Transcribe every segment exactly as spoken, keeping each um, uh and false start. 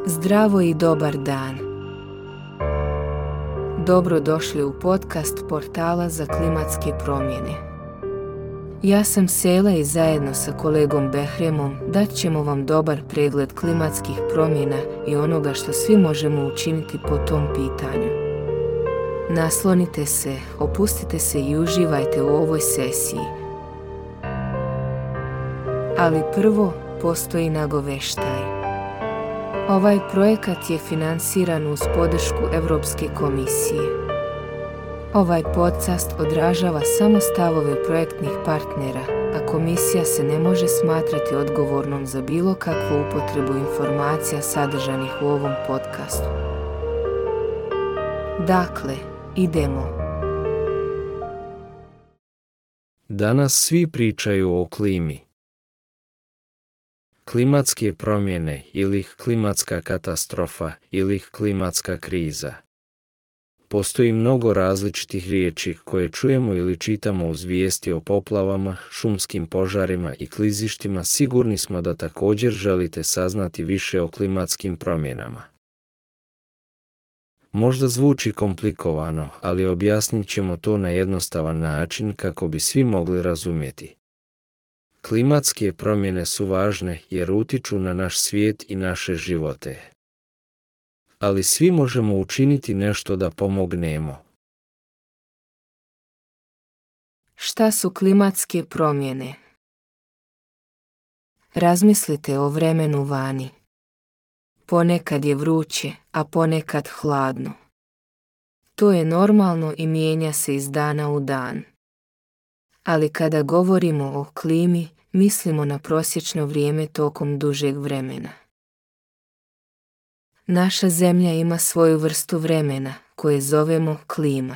Zdravo i dobar dan. Dobro došli u podcast portala za klimatske promjene. Ja sam Sela i zajedno sa kolegom Behremom dat ćemo vam dobar pregled klimatskih promjena i onoga što svi možemo učiniti po tom pitanju. Naslonite se, opustite se i uživajte u ovoj sesiji. Ali prvo postoji nagoveštaj. Ovaj projekat je finansiran uz podršku Europske komisije. Ovaj podcast odražava samo stavove projektnih partnera, a komisija se ne može smatrati odgovornom za bilo kakvu upotrebu informacija sadržanih u ovom podcastu. Dakle, idemo. Danas svi pričaju o klimi. Klimatske promjene ili klimatska katastrofa ili klimatska kriza. Postoji mnogo različitih riječi koje čujemo ili čitamo uz vijesti o poplavama, šumskim požarima i klizištima. Sigurni smo da također želite saznati više o klimatskim promjenama. Možda zvuči komplikovano, ali objasnit ćemo to na jednostavan način kako bi svi mogli razumjeti. Klimatske promjene su važne jer utiču na naš svijet i naše živote. Ali svi možemo učiniti nešto da pomognemo. Šta su klimatske promjene? Razmislite o vremenu vani. Ponekad je vruće, a ponekad hladno. To je normalno i mijenja se iz dana u dan. Ali kada govorimo o klimi, mislimo na prosječno vrijeme tokom dužeg vremena. Naša zemlja ima svoju vrstu vremena, koje zovemo klima.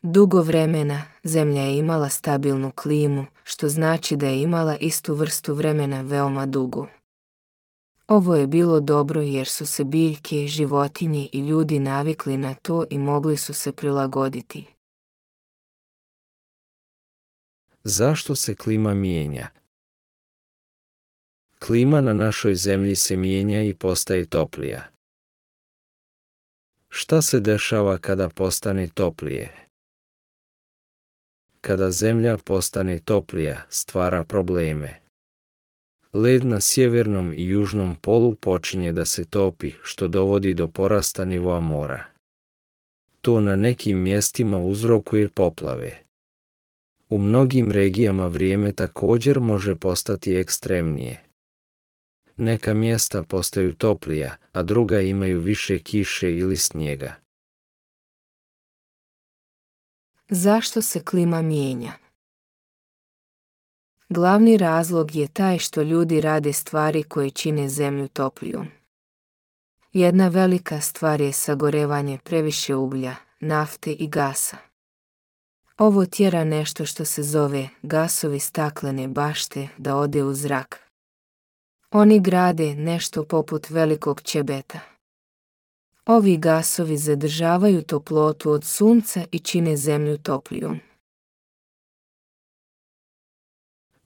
Dugo vremena zemlja je imala stabilnu klimu, što znači da je imala istu vrstu vremena veoma dugo. Ovo je bilo dobro jer su se biljke, životinje i ljudi navikli na to i mogli su se prilagoditi. Zašto se klima mijenja? Klima na našoj zemlji se mijenja i postaje toplija. Šta se dešava kada postane toplije? Kada zemlja postane toplija, stvara probleme. Led na sjevernom i južnom polu počinje da se topi, što dovodi do porasta nivoa mora. To na nekim mjestima uzrokuje poplave. U mnogim regijama vrijeme također može postati ekstremnije. Neka mjesta postaju toplija, a druga imaju više kiše ili snijega. Zašto se klima mijenja? Glavni razlog je taj što ljudi rade stvari koje čine zemlju toplijom. Jedna velika stvar je sagorevanje previše uglja, nafte i gasa. Ovo tjera nešto što se zove gasovi staklene bašte da ode u zrak. Oni grade nešto poput velikog ćebeta. Ovi gasovi zadržavaju toplotu od sunca i čine zemlju toplijom.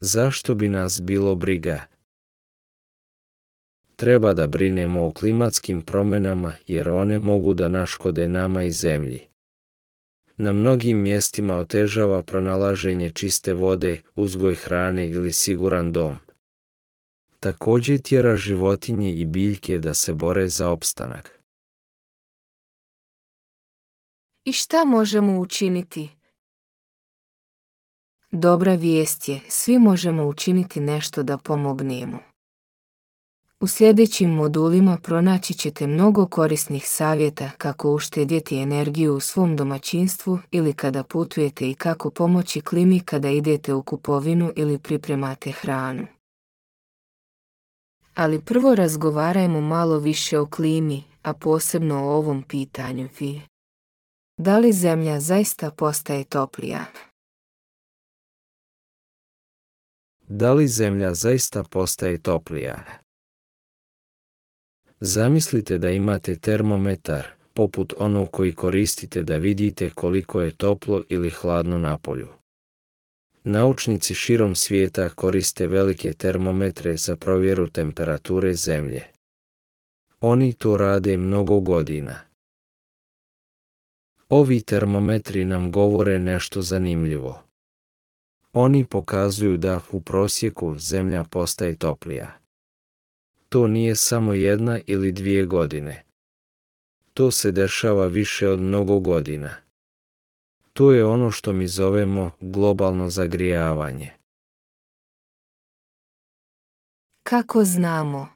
Zašto bi nas bilo briga? Treba da brinemo o klimatskim promjenama jer one mogu da naškode nama i zemlji. Na mnogim mjestima otežava pronalaženje čiste vode, uzgoj hrane ili siguran dom. Također tjera životinje i biljke da se bore za opstanak. I šta možemo učiniti? Dobra vijest je, svi možemo učiniti nešto da pomognemo. U sljedećim modulima pronaći ćete mnogo korisnih savjeta kako uštedjeti energiju u svom domaćinstvu ili kada putujete i kako pomoći klimi kada idete u kupovinu ili pripremate hranu. Ali prvo razgovarajmo malo više o klimi, a posebno o ovom pitanju. Da li zemlja zaista postaje toplija? Da li zemlja zaista postaje toplija? Zamislite da imate termometar, poput onog koji koristite da vidite koliko je toplo ili hladno na polju. Naučnici širom svijeta koriste velike termometre za provjeru temperature zemlje. Oni to rade mnogo godina. Ovi termometri nam govore nešto zanimljivo. Oni pokazuju da u prosjeku zemlja postaje toplija. To nije samo jedna ili dvije godine. To se dešava više od mnogo godina. To je ono što mi zovemo globalno zagrijavanje. Kako znamo?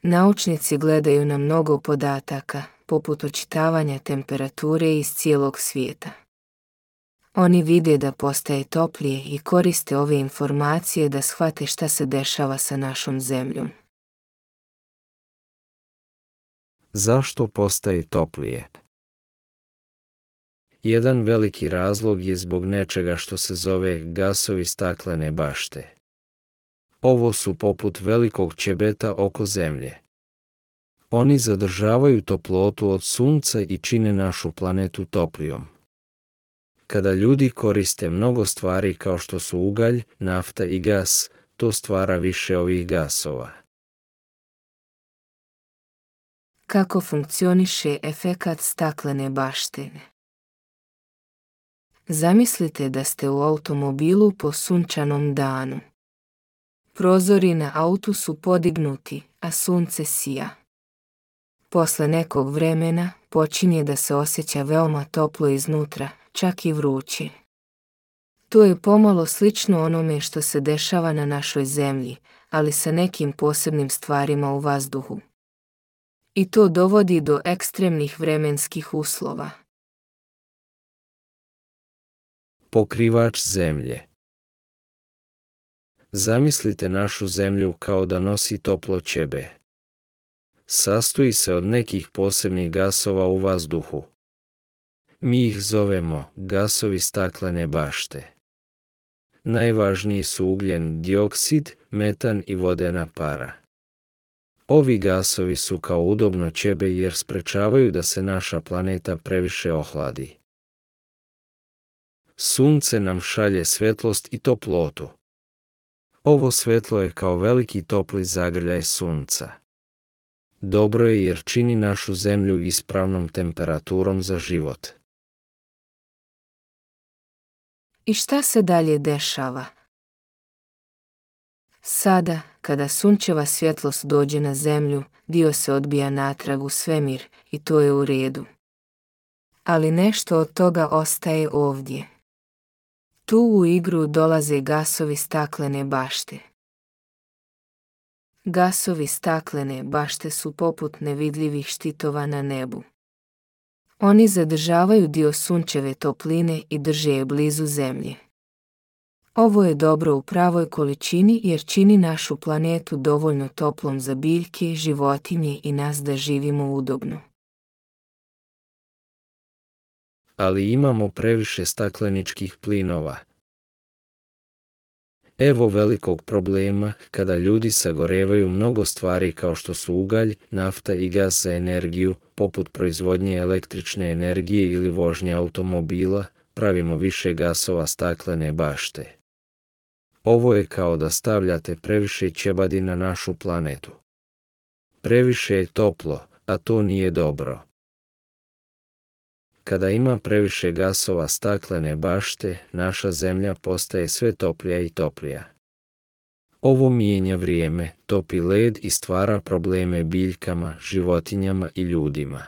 Naučnici gledaju na mnogo podataka, poput očitavanja temperature iz cijelog svijeta. Oni vide da postaje toplije i koriste ove informacije da shvate šta se dešava sa našom zemljom. Zašto postaje toplije? Jedan veliki razlog je zbog nečega što se zove gasovi staklene bašte. Ovo su poput velikog ćebeta oko zemlje. Oni zadržavaju toplotu od sunca i čine našu planetu toplijom. Kada ljudi koriste mnogo stvari kao što su ugalj, nafta i gas, to stvara više ovih gasova. Kako funkcioniše efekat staklene baštine? Zamislite da ste u automobilu po sunčanom danu. Prozori na autu su podignuti, a sunce sija. Posle nekog vremena počinje da se osjeća veoma toplo iznutra, čak i vruće. To je pomalo slično onome što se dešava na našoj zemlji, ali sa nekim posebnim stvarima u vazduhu. I to dovodi do ekstremnih vremenskih uslova. Pokrivač zemlje. Zamislite našu zemlju kao da nosi toplo ćebe. Sastoji se od nekih posebnih gasova u vazduhu. Mi ih zovemo gasovi staklene bašte. Najvažniji su ugljen dioksid, metan i vodena para. Ovi gasovi su kao udobno ćebe jer sprečavaju da se naša planeta previše ohladi. Sunce nam šalje svetlost i toplotu. Ovo svetlo je kao veliki topli zagrljaj sunca. Dobro je jer čini našu zemlju ispravnom temperaturom za život. I šta se dalje dešava? Sada, kada sunčeva svjetlost dođe na zemlju, dio se odbija natrag u svemir i to je u redu. Ali nešto od toga ostaje ovdje. Tu u igru dolaze gasovi staklene bašte. Gasovi staklene bašte su poput nevidljivih štitova na nebu. Oni zadržavaju dio sunčeve topline i drže je blizu zemlje. Ovo je dobro u pravoj količini jer čini našu planetu dovoljno toplom za biljke, životinje i nas da živimo udobno. Ali imamo previše stakleničkih plinova. Evo velikog problema kada ljudi sagorevaju mnogo stvari kao što su ugalj, nafta i gas za energiju, poput proizvodnje električne energije ili vožnje automobila, pravimo više gasova staklene bašte. Ovo je kao da stavljate previše ćebadi na našu planetu. Previše je toplo, a to nije dobro. Kada ima previše gasova staklene bašte, naša zemlja postaje sve toplija i toplija. Ovo mijenja vrijeme, topi led i stvara probleme biljkama, životinjama i ljudima.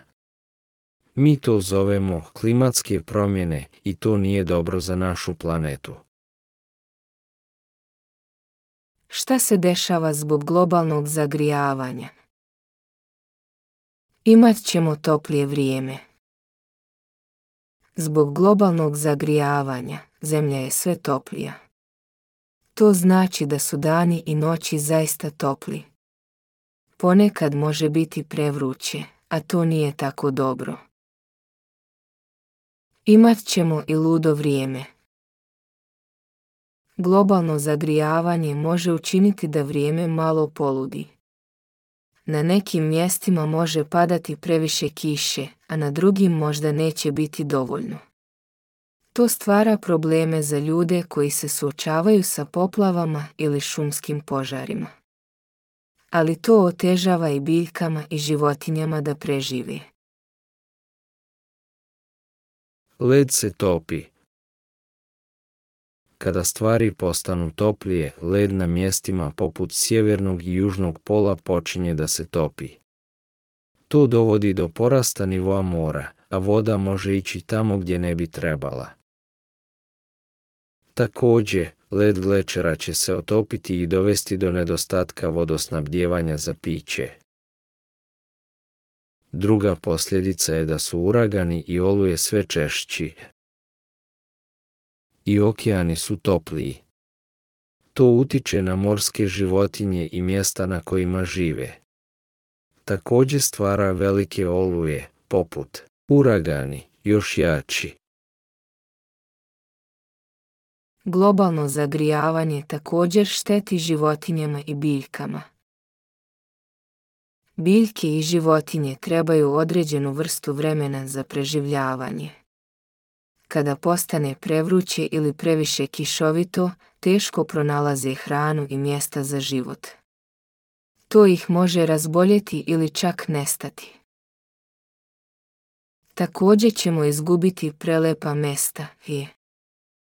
Mi to zovemo klimatske promjene i to nije dobro za našu planetu. Šta se dešava zbog globalnog zagrijavanja? Imat ćemo toplije vrijeme. Zbog globalnog zagrijavanja, zemlja je sve toplija. To znači da su dani i noći zaista topli. Ponekad može biti prevruće, a to nije tako dobro. Imat ćemo i ludo vrijeme. Globalno zagrijavanje može učiniti da vrijeme malo poludi. Na nekim mjestima može padati previše kiše, a na drugim možda neće biti dovoljno. To stvara probleme za ljude koji se suočavaju sa poplavama ili šumskim požarima. ali to otežava i biljkama i životinjama da prežive. Led se topi. Kada stvari postanu toplije, led na mjestima poput sjevernog i južnog pola počinje da se topi. To dovodi do porasta nivoa mora, a voda može ići tamo gdje ne bi trebala. Također, led glečera će se otopiti i dovesti do nedostatka vodosnabdijevanja za piće. Druga posljedica je da su uragani i oluje sve češći. I okeani su topliji. To utiče na morske životinje i mjesta na kojima žive. Također stvara velike oluje, poput uragani, još jači. Globalno zagrijavanje također šteti životinjama i biljkama. Biljke i životinje trebaju određenu vrstu vremena za preživljavanje. Kada postane prevruće ili previše kišovito, teško pronalaze hranu i mjesta za život. To ih može razboljeti ili čak nestati. Također ćemo izgubiti prelepa mjesta i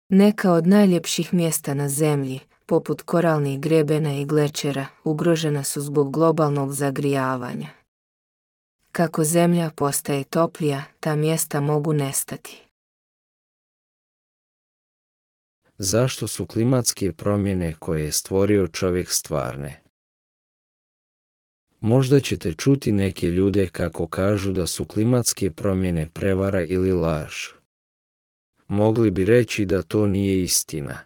neka od najljepših mjesta na zemlji, poput koralnih grebena i glečera, ugrožena su zbog globalnog zagrijavanja. Kako zemlja postaje toplija, ta mjesta mogu nestati. Zašto su klimatske promjene koje je stvorio čovjek stvarne? Možda ćete čuti neke ljude kako kažu da su klimatske promjene prevara ili laž. Mogli bi reći da to nije istina.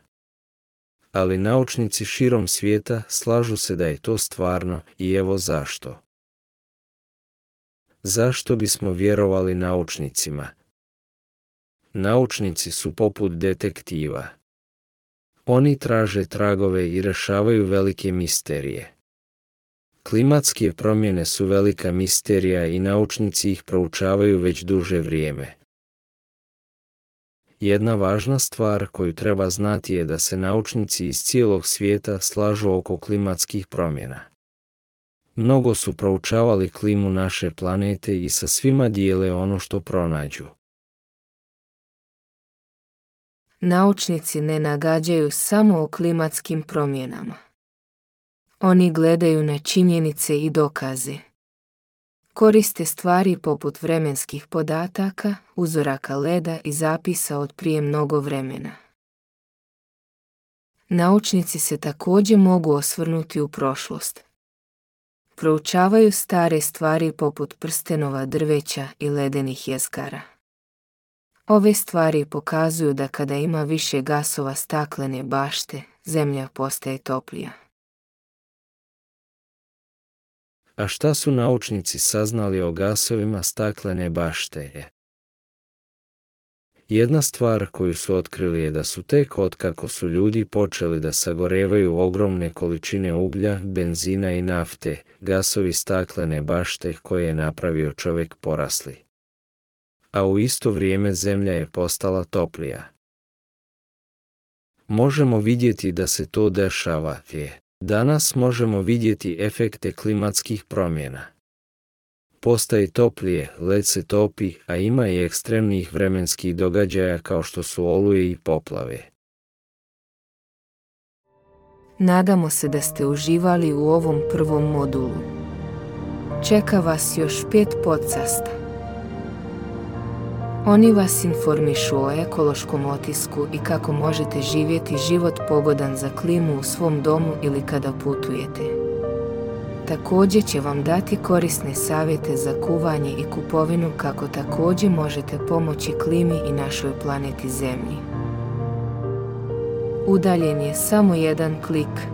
Ali naučnici širom svijeta slažu se da je to stvarno i evo zašto. Zašto bismo vjerovali naučnicima? Naučnici su poput detektiva. Oni traže tragove i rješavaju velike misterije. Klimatske promjene su velika misterija i naučnici ih proučavaju već duže vrijeme. Jedna važna stvar koju treba znati je da se naučnici iz cijelog svijeta slažu oko klimatskih promjena. Mnogo su proučavali klimu naše planete i sa svima dijele ono što pronađu. Naučnici ne nagađaju samo o klimatskim promjenama. Oni gledaju na činjenice i dokaze. Koriste stvari poput vremenskih podataka, uzoraka leda i zapisa od prije mnogo vremena. Naučnici se također mogu osvrnuti u prošlost. Proučavaju stare stvari poput prstenova drveća i ledenih jezgara. Ove stvari pokazuju da kada ima više gasova staklene bašte, zemlja postaje toplija. A šta su naučnici saznali o gasovima staklene bašte? Jedna stvar koju su otkrili je da su tek otkako su ljudi počeli da sagorevaju ogromne količine uglja, benzina i nafte, gasovi staklene bašte koje je napravio čovjek porasli. A u isto vrijeme zemlja je postala toplija. Možemo vidjeti da se to dešava. Danas možemo vidjeti efekte klimatskih promjena. Postaje toplije, led se topi, a ima i ekstremnih vremenskih događaja kao što su oluje i poplave. Nadamo se da ste uživali u ovom prvom modulu. Čeka vas još pet podcasta. Oni vas informišu o ekološkom otisku i kako možete živjeti život pogodan za klimu u svom domu ili kada putujete. Također će vam dati korisne savjete za kuvanje i kupovinu kako također možete pomoći klimi i našoj planeti Zemlji. Udaljen je samo jedan klik.